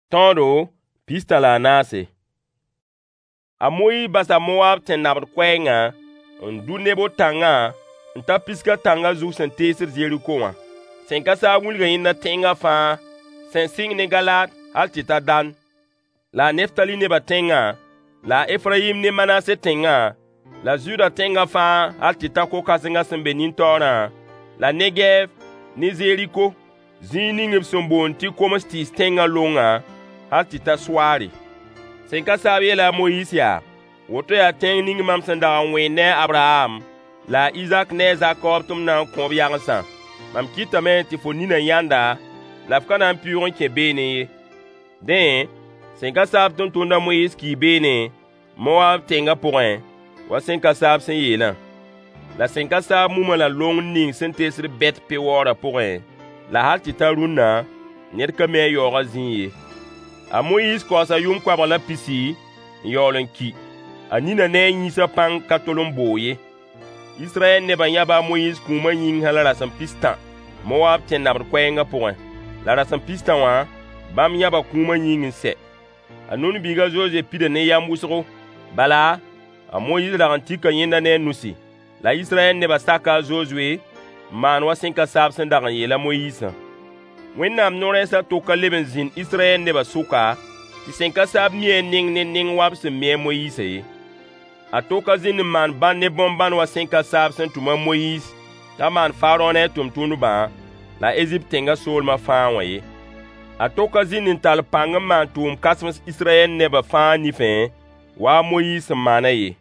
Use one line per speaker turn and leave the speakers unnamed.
Tõodo 14. A Moyiis basa Mowaab tẽn-nabd koɛɛngã n dʋ Nebo tãngã n ta Pisga tãngã zug sẽn teesd Zeriko wã. Sẽn ka saab wilga yẽnda tẽngã fãa sẽn sɩng ne Galaad hal tɩ ta Dan, la a Neftali nebã tẽngã, la a Efrayim ne Manase tẽngã, la Zuda tẽngã fãa hal tɩ ta ko-kãsengã sẽn be nin-taoorã, la Negɛɛv ne Zeriko, zĩig ning b sẽn boond tɩ koms-tɩɩs tẽngã longã, hal tɩ ta Soaare. Sẽn ka saab yeela a Moyiis yaa: Woto yaa tẽng ning mam sẽn dag n wẽed ne a Abraham, la a Izak ne a Zakob tɩ m na n kõ b yagensã. Mam kɩtame tɩ fo ninã yãnd-a, la f ka na n pɩʋʋg n kẽ beene ye. Dẽ, sẽn ka saab tʋmtʋmd a Moyiis kii beene, Mowaab tẽngã pʋgẽ, wa sẽn ka saab sẽn yeelã. La sẽn ka saab muma la longr ning sẽn teesd Bɛt-Pewoorã pʋgẽ, la hal tɩ ta rũnna, ned ka mi a yaoogã zĩig ye. A Moyiis kaoosa yʋʋm koabg la pisi n yaool n ki. A ninã ne a yĩnsã pãng ka tol n boog ye. Israyɛl nebã yãba a Moyiis kũumã yĩng hal rasem pistã Mowaab tẽn-nabd koɛɛngã pʋgẽ. La rasem pistã wã, bãmb yãba kũumã yĩng n sɛ. A Nun biig a Zozoe pida ne yam wʋsgo. Bala, a Moyiis rag n tika yẽnda ne a nusi. La Israyɛl nebã saka a Zozoe n maan wa sẽn ka saab sẽn dag n yeel a Moyiisã. Wẽnnaam no-rɛɛs a to ka leb n zĩnd Israyɛl nebã sʋka tɩ sẽn ka saab mi a neng ne neng wa b sẽn mi a Moyiisã ye. A to ka zĩnd n maan bãn ne bõn-bãn wa sẽn ka saab sẽn tʋm a Moyiis t'a maan Farõ ne a tʋmtʋmdbã la Ezipt tẽngã soolmã fãa wã ye. A to ka zĩnd n tall pãng n maan tʋʋm-kãsems Israyɛl nebã fãa nifẽ, wa a Moyiis sẽn maanã ye.